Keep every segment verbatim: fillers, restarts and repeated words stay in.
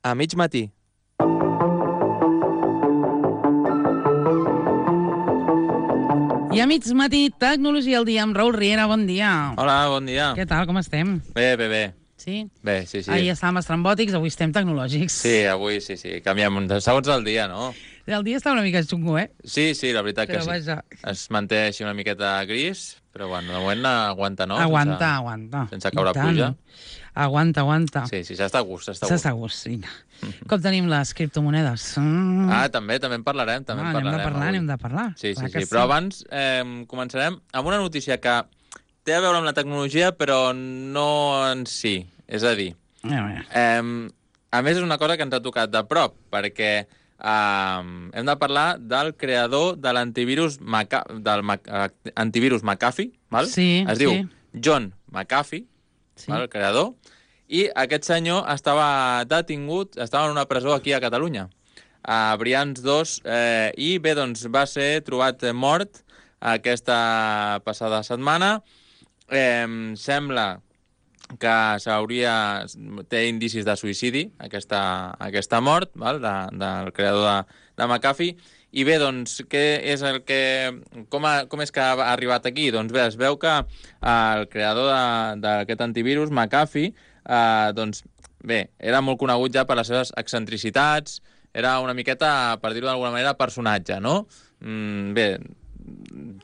A mig matí. I a mig matí, Tecnologia al dia amb Raül Riera, bon dia. Hola, bon dia. Què tal, com estem? Bé, bé, bé. Sí? Bé, sí, sí. Ahir estàvem estrambòtics, avui estem tecnològics. Sí, avui sí, sí. Canviem de segons el dia, no? El dia està una mica xungo, eh? Sí, sí, la veritat Però que sí. vaja. Es manté així una miqueta gris, però bueno, de moment aguanta, no? Aguanta, sense, aguanta. Sense caure I tant. pluja. Aguanta, aguanta. Sí, sí, s'està a gust, s'està a S'està gust. a gust, vinga. Com tenim les criptomonedes? Mm. Ah, també, també en parlarem, també Ah, en anem de parlarem. parlar, avui. anem de parlar. Sí, sí, Clar que sí. Però abans eh, començarem amb una notícia que té a veure amb la tecnologia, però no en si. És a dir, A veure. Eh, a més, és una cosa que ens ha tocat de prop, perquè eh, hem de parlar del creador de l'antivirus Maca del Mac antivirus McAfee, val? Sí, es diu sí. John McAfee, Sí. val, el creador, i aquest senyor estava detingut, estava en una presó aquí a Catalunya, a Brians dos, eh, i bé, doncs va ser trobat mort aquesta passada setmana. Eh, sembla que s'hauria... té indicis de suïcidi, aquesta, aquesta mort, val? De, del creador de, de McAfee. I bé, doncs, què és el que... Com, a, com és que ha arribat aquí? Doncs bé, es veu que el creador d'aquest antivirus, McAfee, eh, doncs, bé, era molt conegut ja per les seves excentricitats, era una miqueta, per dir-ho d'alguna manera, personatge, no? Mm, bé,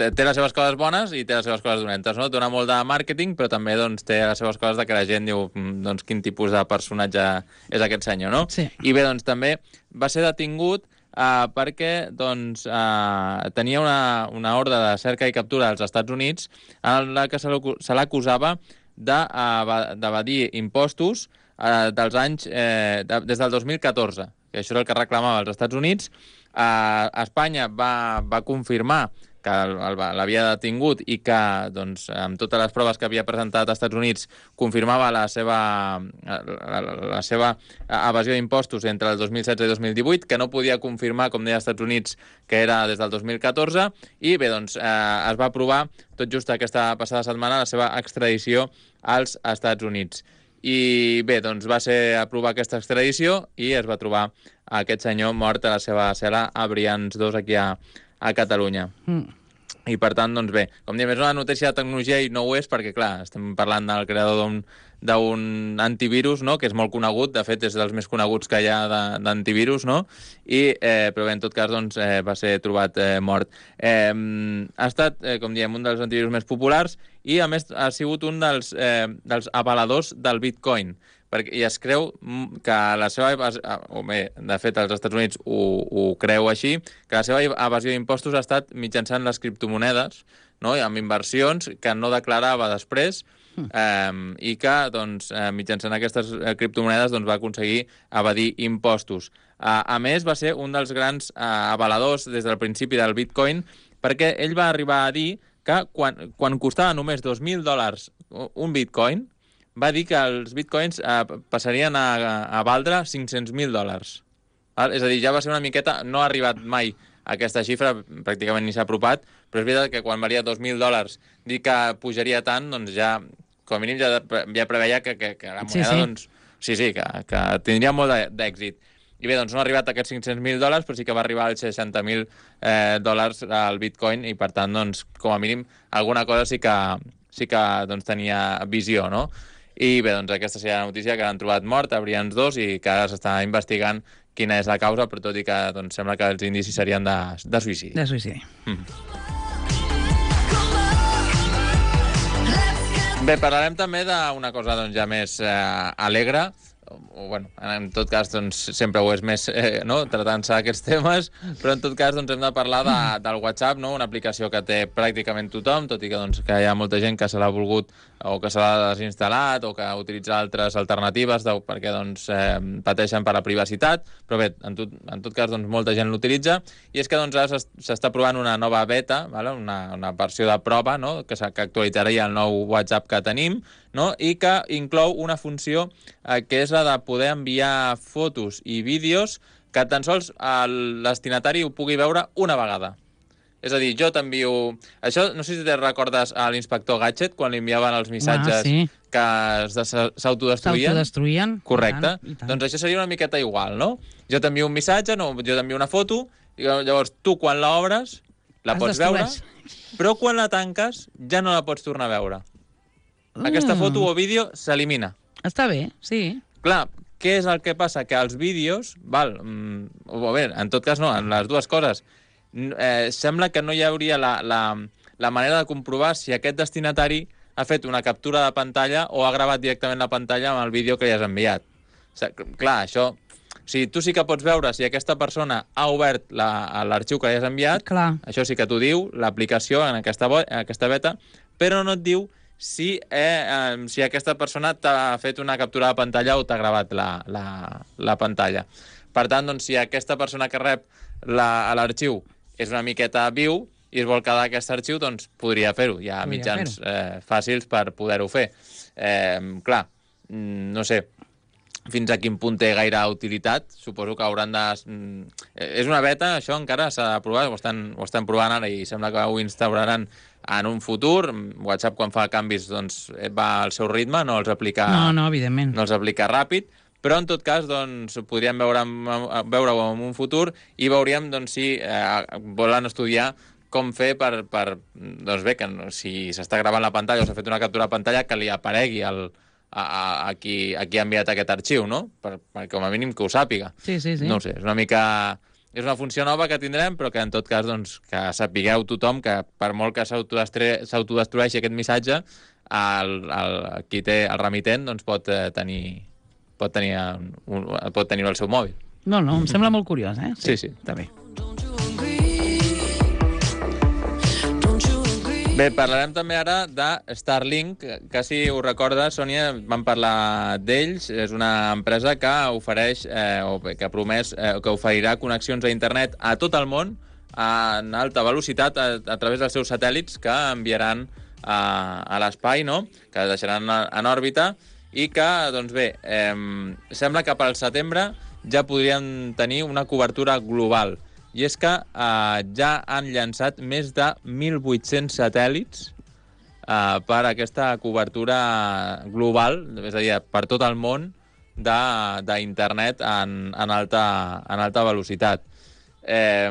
té, té les seves coses bones i té les seves coses dolentes, no? Dona molt de màrqueting, però també doncs, té les seves coses de que la gent diu doncs, quin tipus de personatge és aquest senyor, no? Sí. I bé, doncs també va ser detingut eh, perquè doncs, eh, tenia una, una ordre de cerca i captura als Estats Units en la que se l'acu- se l'acusava d'evadir impostos eh, dels anys, eh, de, des del dos mil catorze, que això és el que reclamava als Estats Units. Eh, Espanya va, va confirmar que el- el- l'havia detingut i que, doncs, amb totes les proves que havia presentat als Estats Units, confirmava la seva, la, la, la seva evasió d'impostos entre el dos mil setze i dos mil divuit, que no podia confirmar, com deia als Estats Units, que era des del dos mil catorze, i bé, doncs, eh, es va aprovar tot just aquesta passada setmana la seva extradició als Estats Units. I bé, doncs va ser aprovar aquesta extradició i es va trobar aquest senyor mort a la seva cel·la a Brians dos aquí a, a Catalunya. Mm. I per tant, doncs bé, com diem, és una notícia de tecnologia i no ho és perquè, clar, estem parlant del creador d'un d'un antivirus, no?, que és molt conegut, de fet és dels més coneguts que hi ha de- d'antivirus, no?, i, eh, però bé, en tot cas, doncs, eh, va ser trobat eh, mort. Eh, ha estat, eh, com diem, un dels antivirus més populars i, a més, ha sigut un dels, eh, dels avaladors del Bitcoin, perquè, i es creu mm, que la seva... evas- ah, o bé, de fet, als Estats Units ho, ho creu així, que la seva evasió d'impostos ha estat mitjançant les criptomonedes, no?, i amb inversions que no declarava després, eh, i que, doncs, eh, mitjançant aquestes eh, criptomonedes doncs, va aconseguir evadir impostos. A, a més, va ser un dels grans eh, avaladors des del principi del Bitcoin, perquè ell va arribar a dir que quan, quan costava només dos mil dòlars un Bitcoin, va dir que els bitcoins eh, passarien a, a valdre cinc-cents mil dòlars. Val? És a dir, ja va ser una miqueta... No ha arribat mai a aquesta xifra, pràcticament ni s'ha apropat, però és veritat que quan valia dos mil dòlars dir que pujaria tant, doncs ja, com a mínim, ja, ja preveia que, que, que la moneda, Sí, sí. doncs... Sí, sí, que, que tindria molt de- d'èxit. I bé, doncs no ha arribat a aquests cinc-cents mil dòlars, però sí que va arribar als seixanta mil eh, dòlars al bitcoin, i per tant, doncs, com a mínim, alguna cosa sí que, sí que doncs, tenia visió, no? I bé, doncs aquesta seria la notícia, que l'han trobat mort a Brians dos i que ara s'està investigant quina és la causa, però tot i que doncs, sembla que els indicis serien de, de suïcidi. De suïcidi. Bé, parlarem també d'una cosa doncs, ja més eh, alegre, o, o, bueno, en tot cas doncs, sempre ho és més eh, no? tratant-se aquests temes, però en tot cas doncs, hem de parlar de, del WhatsApp, no? Una aplicació que té pràcticament tothom, tot i que, doncs, que hi ha molta gent que se l'ha volgut o que se l'ha desinstal·lat o que utilitza altres alternatives de, perquè doncs, eh, pateixen per la privacitat, però bé, en tot, en tot cas doncs, molta gent l'utilitza, i és que doncs, ara s'es- s'està provant una nova beta, vale? una, una versió de prova, no? que, s'ha- que actualitzaria el nou WhatsApp que tenim, no? i que inclou una funció eh, que és la de poder enviar fotos i vídeos que tan sols el destinatari ho pugui veure una vegada. És a dir, jo t'envio... Això, no sé si te recordes a l'inspector Gadget, quan li enviaven els missatges Ah, sí. que s'autodestruïen. S'autodestruïen. Correcte. I tant, i tant. Doncs això seria una miqueta igual, no? Jo t'envio un missatge, no, jo t'envio una foto, i llavors tu, quan l'obres, la Es pots veure, destrueix. però quan la tanques ja no la pots tornar a veure. Aquesta Mm. foto o vídeo s'elimina. Està bé, sí. Clar, què és el que passa? Que els vídeos, val, mm, o bé, en tot cas no, en les dues coses, eh, sembla que no hi hauria la, la, la manera de comprovar si aquest destinatari ha fet una captura de pantalla o ha gravat directament la pantalla amb el vídeo que li has enviat. O sigui, clar, això... O sigui, tu sí que pots veure si aquesta persona ha obert l'arxiu que li has enviat, Clar. això sí que t'ho diu, l'aplicació en aquesta, bo, en aquesta beta, però no et diu si, eh, eh, si aquesta persona t'ha fet una captura de pantalla o t'ha gravat la, la, la pantalla. Per tant, doncs, si aquesta persona que rep l'arxiu és una miqueta viu i es vol quedar aquest arxiu, doncs podria fer-ho. Hi ha Podria mitjans eh, fàcils per poder-ho fer. Eh, clar, no sé fins a quin punt té gaire utilitat. Suposo que hauran de... És una beta, això encara s'ha de provar, ho estan, ho estan provant ara i sembla que ho instauraran en un futur. WhatsApp, quan fa canvis, doncs va al seu ritme, no els aplica, No, no, evidentment. no els aplica ràpid, però en tot cas doncs, podríem veure, veure-ho en un futur i veuríem doncs, si eh, volen estudiar com fer per, per doncs bé, que si s'està gravant la pantalla o s'ha fet una captura de pantalla, que li aparegui el, a, a, a, qui, a qui ha enviat aquest arxiu, no? Per, per, com a mínim que ho sàpiga. Sí, sí, sí. No ho sé, és una mica... És una funció nova que tindrem, però que en tot cas doncs, que sapigueu tothom que per molt que s'autodestrueixi aquest missatge, el, el, qui té el remitent doncs, pot eh, tenir pot tenir un, pot tenir al seu mòbil. No, no, em sembla molt curiós, eh? Sí, sí. Està bé. Bé, parlarem també ara de Starlink, que si ho recorda, Sònia, vam parlar d'ells. És una empresa que ofereix, eh, o bé, que ha promès eh, que oferirà connexions a internet a tot el món en alta velocitat a, a través dels seus satèl·lits que enviaran a, a l'espai, no? Que deixaran en òrbita i que, doncs bé, eh, sembla que pel setembre ja podrien tenir una cobertura global. I és que eh, ja han llançat més de mil vuit-cents satèl·lits eh, per aquesta cobertura global, és a dir, per tot el món d'internet en, en, alta, en alta velocitat. Eh,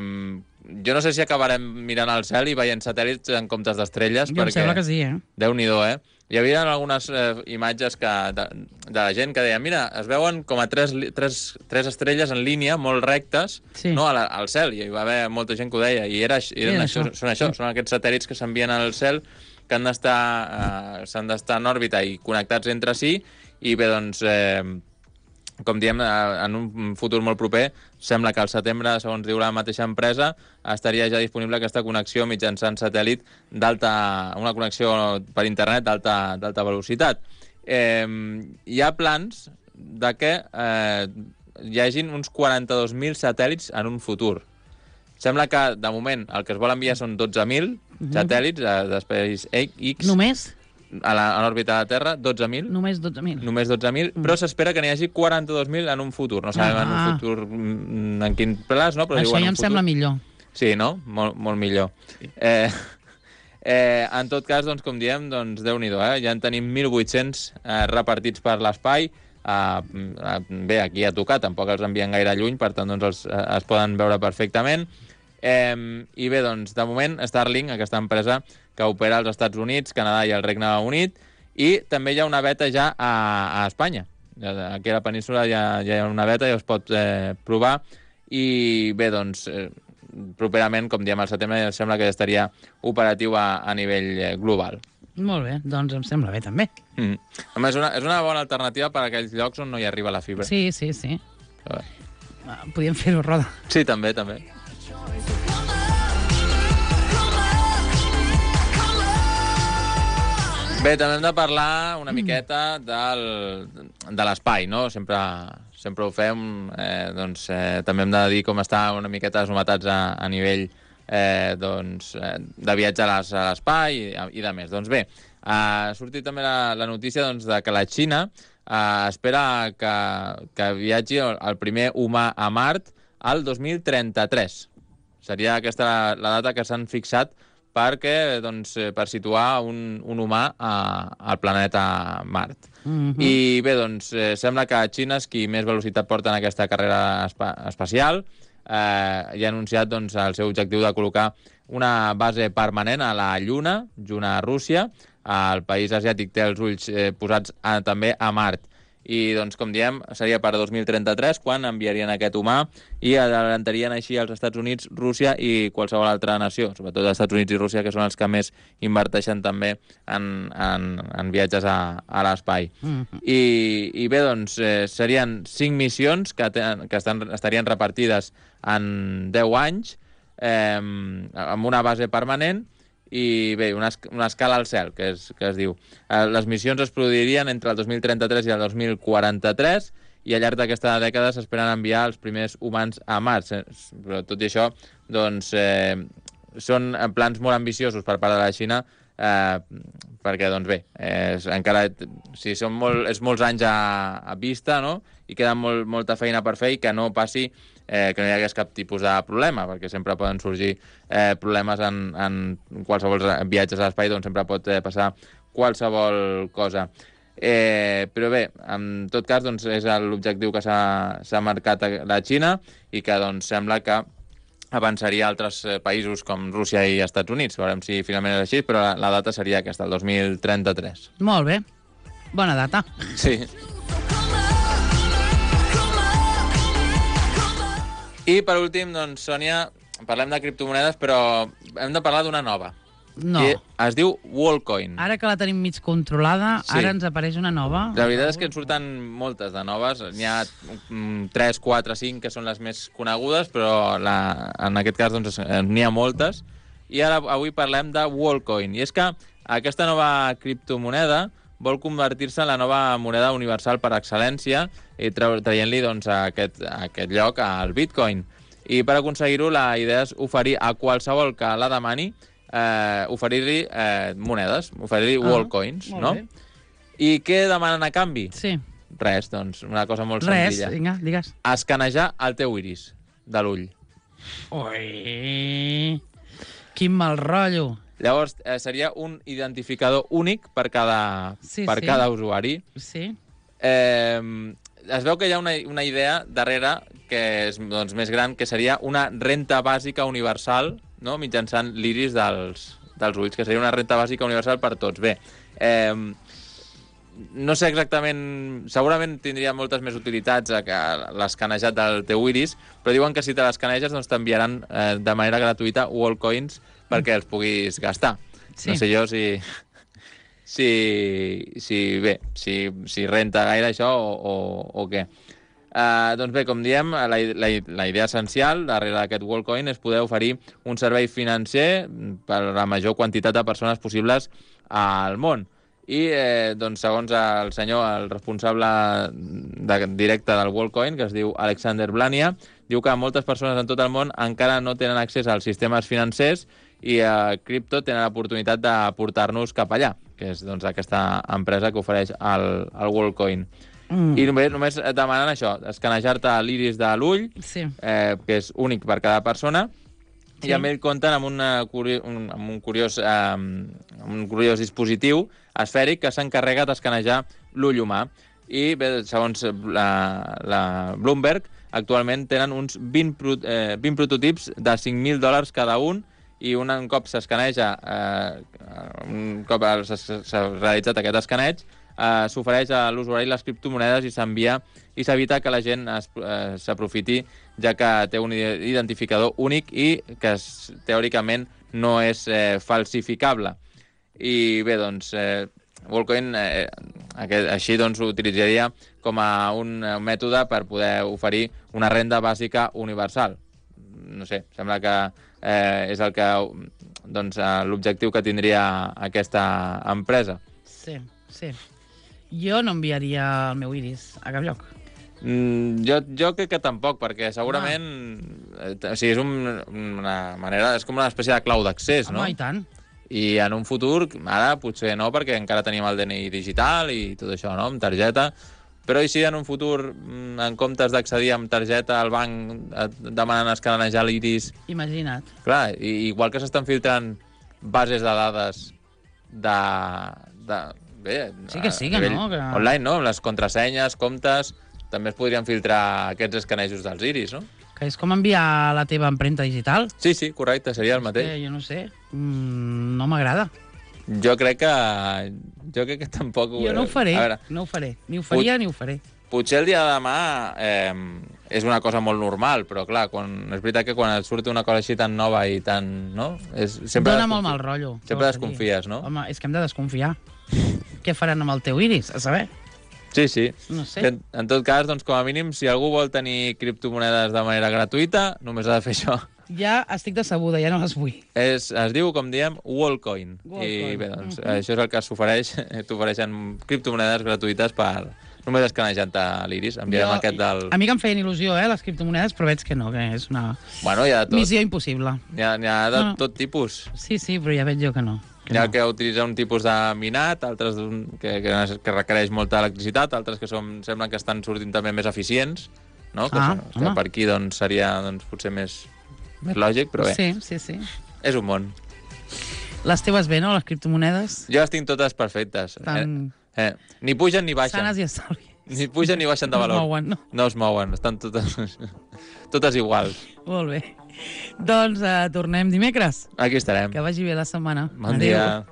jo no sé si acabarem mirant al cel i veient satèl·lits en comptes d'estrelles. Jo em sembla que sí, eh? Déu-n'hi-do, eh? Hi havia algunes eh, imatges que, de, de la gent que deia mira, es veuen com a tres, tres, tres estrelles en línia, molt rectes, sí. no, a la, al cel, i hi va haver molta gent que ho deia, i era, eren era això, això. són això, són aquests satèl·lits que s'envien al cel, que han d'estar eh, s'han d'estar en òrbita i connectats entre si, i bé, doncs... Eh, com diem, en un futur molt proper, sembla que al setembre, segons diu la mateixa empresa, estaria ja disponible aquesta connexió mitjançant satèl·lit d'alta, una connexió per internet d'alta velocitat. Eh, hi ha plans de que eh, hi hagin uns quaranta-dos mil satèl·lits en un futur. Sembla que, de moment, el que es vol enviar són dotze mil mm-hmm. satèl·lits de, de SpaceX. Només? A l'òrbita de la Terra, dotze mil. Només dotze mil. Només dotze mil, mm. però s'espera que n'hi hagi quaranta-dos mil en un futur. No sabem ah. en un futur en quin plaç, no? Però això ja em futur... sembla millor. Sí, no? Molt, molt millor. Sí. Eh, eh, en tot cas, doncs, com diem, doncs, Déu-n'hi-do, eh? Ja en tenim mil vuit-cents eh, repartits per l'espai. Eh, bé, aquí a tocar, tampoc els envien gaire lluny, per tant, doncs, els, eh, es poden veure perfectament. Eh, I bé, doncs, de moment, Starlink, aquesta empresa que opera als Estats Units, Canadà i el Regne Unit, i també hi ha una beta ja a, a Espanya. Aquí a la península ja, ja hi ha una beta i es pot eh, provar, i bé, doncs, eh, properament, com diem al setembre, sembla que estaria operatiu a, a nivell eh, global. Molt bé, doncs em sembla bé, també. Mm. Home, és una, és una bona alternativa per a aquells llocs on no hi arriba la fibra. Sí, sí, sí. Podríem fer-ho, Roda. Sí, també, també. Bé, també hem de parlar una miqueta del, de l'espai, no? Sempre, sempre ho fem. Eh, doncs, eh, també hem de dir com està una miqueta les novetats a, a nivell eh, doncs, eh, de viatge a l'espai i, i de més. Doncs bé, ha sortit també la, la notícia doncs, de que la Xina eh, espera que, que viatgi el primer humà a Mart al dos mil trenta-tres. Seria aquesta la, la data que s'han fixat perquè, doncs, eh, per situar un, un humà a, al planeta Mart. Mhm. I bé, doncs, eh, sembla que Xina és qui més velocitat porta en aquesta carrera espa espacial, eh, i ha anunciat doncs, el seu objectiu de col·locar una base permanent a la Lluna, junt a Rússia. El país asiàtic té els ulls eh, posats a, també a Mart. I, doncs, com diem, seria per dos mil trenta-tres quan enviarien aquest humà i adelantarien així als Estats Units, Rússia i qualsevol altra nació, sobretot els Estats Units i Rússia, que són els que més inverteixen també en, en, en viatges a, a l'espai. Mm-hmm. I, I bé, doncs, eh, serien cinc missions que, ten, que estan, estarien repartides en deu anys, eh, amb una base permanent, i bé, una, una escala al cel, que es, que es diu. Eh, les missions es produirien entre el dos mil trenta-tres i el dos mil quaranta-tres, i al llarg d'aquesta dècada s'esperen enviar els primers humans a Mart. Però tot i això, doncs, eh, són plans molt ambiciosos per part de la Xina, eh, perquè, doncs bé, és, encara si són molt, és molts anys a, a vista, no?, i queda molt, molta feina per fer i que no passi eh, que no hi hagués cap tipus de problema, perquè sempre poden sorgir eh, problemes en, en qualsevol viatges a l'espai, doncs sempre pot eh, passar qualsevol cosa. Eh, però bé, en tot cas, doncs, és l'objectiu que s'ha marcat la Xina i que doncs, sembla que avançaria a altres països com Rússia i Estats Units. Veurem si finalment és així, però la, la data seria aquesta, el dos mil trenta-tres. Molt bé. Bona data. Sí. I, per últim, doncs, Sònia, parlem de criptomonedes, però hem de parlar d'una nova. No. I es diu Worldcoin. Ara que la tenim mig controlada, Sí. ara ens apareix una nova. La veritat és que en surten moltes de noves. N'hi ha tres, quatre, cinc que són les més conegudes, però la, en aquest cas doncs, n'hi ha moltes. I ara avui parlem de Worldcoin. I és que aquesta nova criptomoneda vol convertir-se en la nova moneda universal per excel·lència i traient-li doncs, a aquest, a aquest lloc al Bitcoin. I per aconseguir-ho, la idea és oferir a qualsevol que la demani eh, oferir-li eh, monedes, oferir-li ah, Worldcoins, no? Bé. I què demanen a canvi? Sí. Res, doncs, una cosa molt Res, senzilla. Res, vinga, digues. Escanejar el teu iris de l'ull. Ui, quin mal rotllo. Llavors, eh, seria un identificador únic per cada, sí, per sí. cada usuari. Sí. Eh, es veu que hi ha una, una idea darrere que és doncs, més gran, que seria una renta bàsica universal, no?, mitjançant l'iris dels, dels ulls, que seria una renta bàsica universal per tots. Bé, eh, no sé exactament... Segurament tindria moltes més utilitats l'escanejat del teu iris, però diuen que si te l'escaneges doncs t'enviaran eh, de manera gratuïta Worldcoins perquè els puguis gastar. Sí. No sé jo si... Si, si bé, si, si renta gaire això o, o, o què. Uh, doncs bé, com diem, la, la, la idea essencial darrere d'aquest Worldcoin és poder oferir un servei financer per a la major quantitat de persones possibles al món. I, eh, doncs, segons el senyor, el responsable de, directe del Worldcoin, que es diu Alexander Blania, diu que moltes persones en tot el món encara no tenen accés als sistemes financers i a uh, Crypto tenen l'oportunitat de portar-nos cap allà, que és doncs, aquesta empresa que ofereix el, el Worldcoin. Mm. I només, només demanen això, escanejar-te l'iris de l'ull, sí. eh, que és únic per cada persona, sí. I amb ell compten amb, una, un, amb un, curiós, eh, un curiós dispositiu esfèric que s'encarrega d'escanejar l'ull humà. I bé, segons la, la Bloomberg, actualment tenen uns vint, eh, vint prototips de cinc mil dòlars cada un, i un, un cop s'escaneja, eh, un cop s'ha realitzat aquest escaneig, eh, s'ofereix a l'usuari les criptomonedes i s'envia i s'evita que la gent eh, s'aprofiti, ja que té un identificador únic i que es, teòricament no és eh, falsificable. I bé, doncs, eh, Worldcoin eh, aquest, així doncs, ho utilitzaria com a un, un mètode per poder oferir una renda bàsica universal. No sé, sembla que eh, és el que doncs, l'objectiu que tindria aquesta empresa. Sí, sí. Jo no enviaria el meu iris a cap lloc. Mm, jo, jo crec que tampoc, perquè segurament... Ah. Eh, o sigui, és un, una manera... És com una espècie de clau d'accés, no? Home, i tant. I en un futur, ara potser no, perquè encara tenim el D N I digital i tot això, no?, amb targeta. Però i si en un futur, en comptes d'accedir amb targeta al banc, et demanen escanejar l'iris... Imagina't. Clar, i, igual que s'estan filtrant bases de dades de... de bé, Sí que sí, que a nivell no, que- online, no? Amb les contrasenyes, comptes... També es podrien filtrar aquests escanejos dels iris, no? Que és com enviar la teva empremta digital. Sí, sí, correcte, seria el mateix. Que jo no sé, mm, no m'agrada. Jo crec que... Jo crec que tampoc... Jo no ho faré, A veure, no ho faré. Ni ho faria Pot- ni ho faré. potser el dia de demà eh, és una cosa molt normal, però clar, quan, és veritat que quan et surt una cosa així tan nova i tan... No? És, sempre Dóna desconfi- molt mal rotllo. què Sempre vols que digui? desconfies, no? Home, és que hem de desconfiar. Què faran amb el teu iris? A saber. Sí, sí. No sé. En, en tot cas, doncs, com a mínim, si algú vol tenir criptomonedes de manera gratuïta, només ha de fer això. Ja estic decebuda, ja no les vull. És, es diu, com diem, Wallcoin. Wallcoin. I bé, doncs, Mhm. això és el que s'ofereix. T'ofereixen criptomonedes gratuïtes per només escanejant-te l'iris. Enviarem Jo- aquest del... A mi que em feien il·lusió, eh, les criptomonedes, però veig que no, que és una Bueno, hi ha de tot. missió impossible. N'hi ha, n'hi ha de No. tot tipus. Sí, sí, però ja veig jo que no. Que N'hi ha no. que utilitza un tipus de minat, altres d'un- que, que, que requereix molta electricitat, altres que són, semblen que estan sortint també més eficients, no? que, Ah, són- que home. per aquí doncs, seria doncs, potser més, més lògic, però bé, Sí, sí, sí. és un món. Les teves bé, no, les criptomonedes? Jo les tinc totes perfectes. Estan Eh, eh. Ni pugen ni baixen. sanes i estalvi. Ni pugen ni baixen de No es valor. mouen, no? No es mouen, estan totes, totes iguals. Molt bé. Doncs eh, tornem dimecres. Aquí estarem. Que vagi bé la setmana. Bon Adéu. dia.